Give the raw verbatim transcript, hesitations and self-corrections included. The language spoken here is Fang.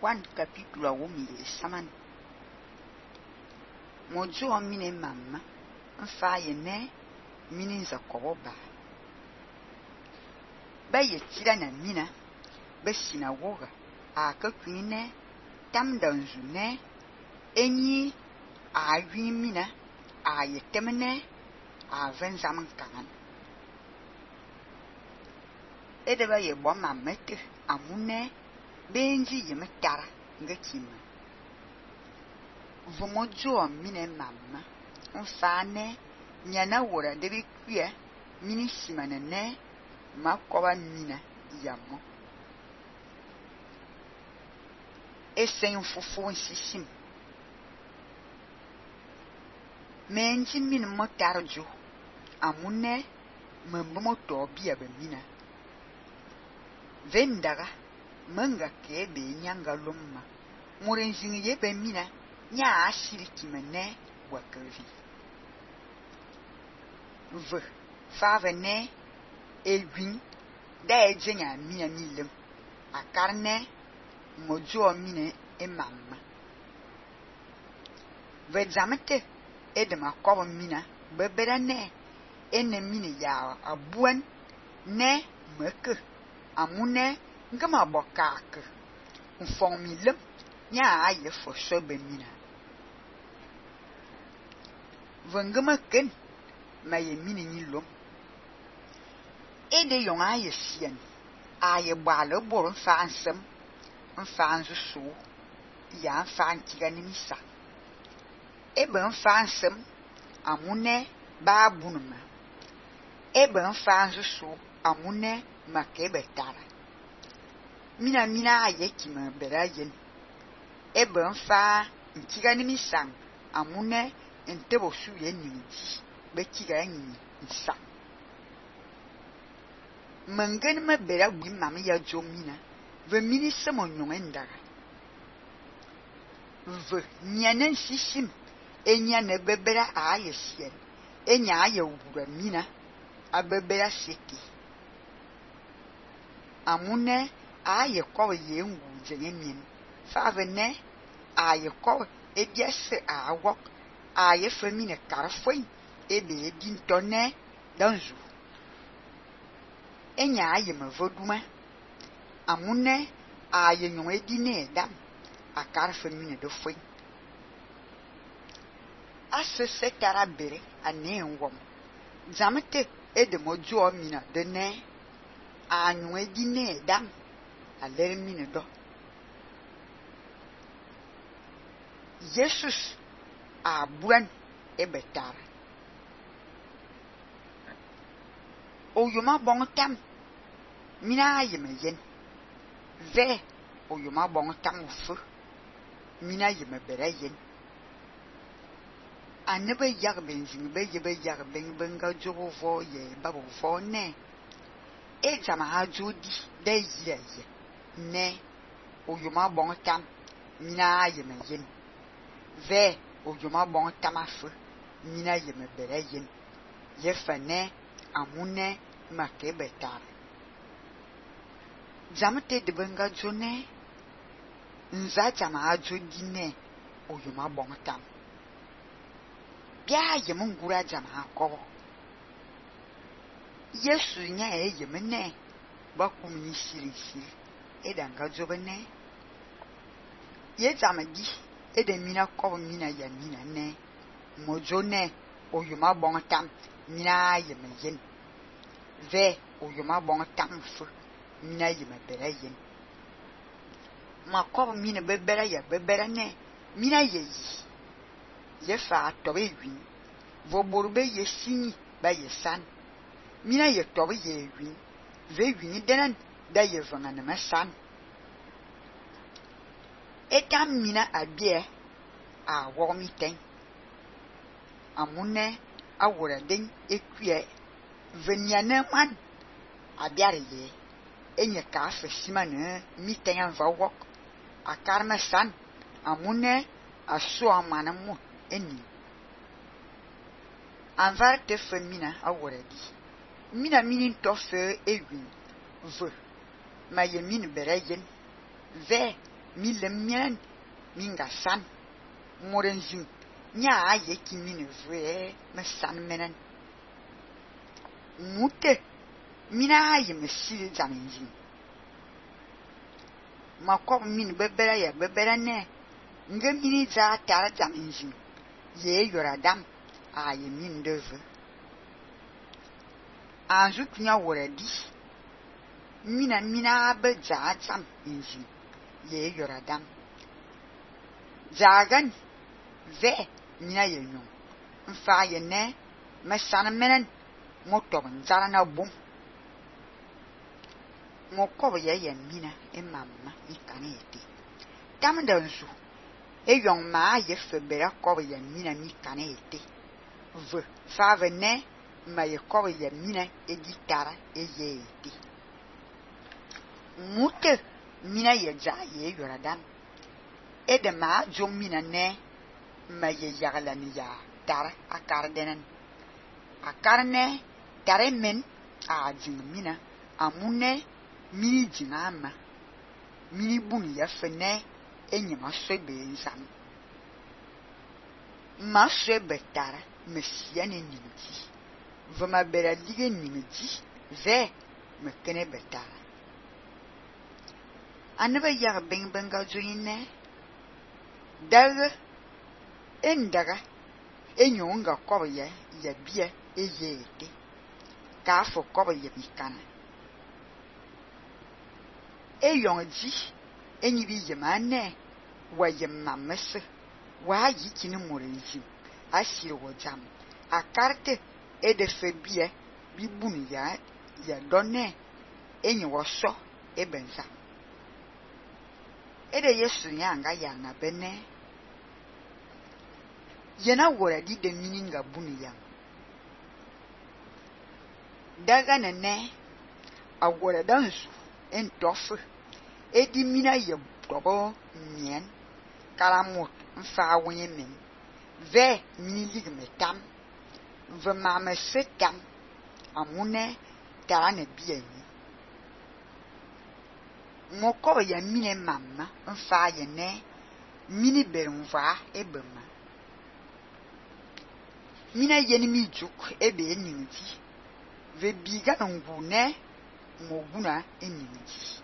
Juan capítulo awumi saman. Mojo mine mamma mfa ye ne mini za koboba. Ba ye tira na mina ba sinagoga a ka kwine tam danzu ne enyi a wi mina a ye temne a ven zaman kangan. Ede ba ye bo mamete amune benji ye metara ngakima. Vomojo mine mamma mfa ne nyana wora debi kuya mini simana ne makoba mina yamo. Esen fufu nsisim. Menji min motarjo amune mambo to bia be mina. Vendaga manga ke be nyanga lumma. Murenjingi ye be mina nya ashiri kimene wakavi. V fave ne egwin da ejenya mina milem akarne mojo mine e mamma. Ve zamete edema kobo mina bebera ne ene mine ya abuan ne meke amune ngama bokak mfong milem nya aye fo sobe mina. Vengema ken maye mine ni lom. Ede yon aye sien aye bale boro mfa nsem mfa nzusu ya mfa ntiga ni misa. Ebe mfa nsem amune ba bunuma. Ebe mfa nzusu amune makebe tara. Mina mina aye kima bera yen. Ebe mfa ntiga ni misa amune entebo suye nimiji bekiga nyi nsa. Mangen me bera wi mami ya jomina ve mini semo nyongendaga. Ve nyanen sishim enya ne bebera aye sien enya aye wura mina abebera seki. Amune aye kowe ye ngu jenye mien fave ne aye kowe ebiase awok aye femine karfoy ebe edin tonne danzu. Enya aye mevoduma amune aye nyon edine dam akar femine do foy. Ase setara bere ane nwom. Zamete edemojo mina de ne anyon edine dam alere mine do. Jesus a buan ebetara. Oyoma bon tam mina yeme yen. Ve oyoma bon tam ufu mina yeme bere yen. Anebe yag benzing be yebe yag ben benga jogo vo ye babo vo ne. E jama ha jodi de ye ye ne oyoma bon tam mina yeme yen. Ve oyoma bon tam afu mina yeme bere yen. Ye fane amune makebe tar. Jamete de benga jone nza jama ajo dine oyoma bon tam. Bia ye mungura jama akobo. Yesu nya e ye mene ba kumini siri siri edanga jobene. Ye jama di ede mina kobo mina ya mina ne mojo ne oyoma bon tam mina ye me yen. Ve oyoma bon tam fu mina ye me bere yen. Ma kobo mina bebera ya bebera ne mina ye yi. Ye fa tobe win. Vo borube ye sini ba ye san. Mina ye tobe ye win. Ve win denan da ye vanga na ma san. Etam mina abie a womi ten. Amune awora den ekwie venyane man abiare ye enye ka afe simane mi ten anva wok akarme san amune aso amana mu eni anvar te femina awora di mina mini tofe ewin ve ma ye min bere yen ve mi lem mian mi nga san moren zin nya ye ki mi ne vre me san menen mute mina ye me sile zaminzin ma ko min bebera ya bebera ne nge mini za tara zaminzin ye yoradam a ye min deve anzu kunya woradi mina mina be za zam inzin ye yoradam zagan ve mina ye nyon mfa ye ne me san menen motob nzara na bum mo ko ye ye mina e mamma ikane ete tam da nsu e yon ma ye febera ko ye mina mi kane ete ve fa ve ne ma ye ko ye mina e gitara e ye ete mute mina ye za ye yoradam e de ma jo mina ne ma ye yagala ni ya tara akar denen akar ne tare men a jing mina amune mini jinga ma mini buni ya fene enyi ma sebe nzam ma sebe tara me siya ne nimti vama bera lige nimti ve me kene betara anaba ya beng benga joine daga endaga enyo nga ko ya ya bia eyete ka fo ko ya bikana eyon ji enyi bi yemane wa yemamese wa yi kini morenzi asire wo jam akarte ede febie bi bunu ya ya donne enyi wo so ebenza ede yesu nyanga ya na bene yena wora di de mininga bunu ya daga nene awora dansu entofu edi mina ye dobo mien kalamut mfa wenye men ve mini ligme tam ve mame setam amune tarane bieni moko ya mine mamma mfa ye ne mini berumva ebema mina yeni mi juk ebe enimti ve biga ngune moguna enimti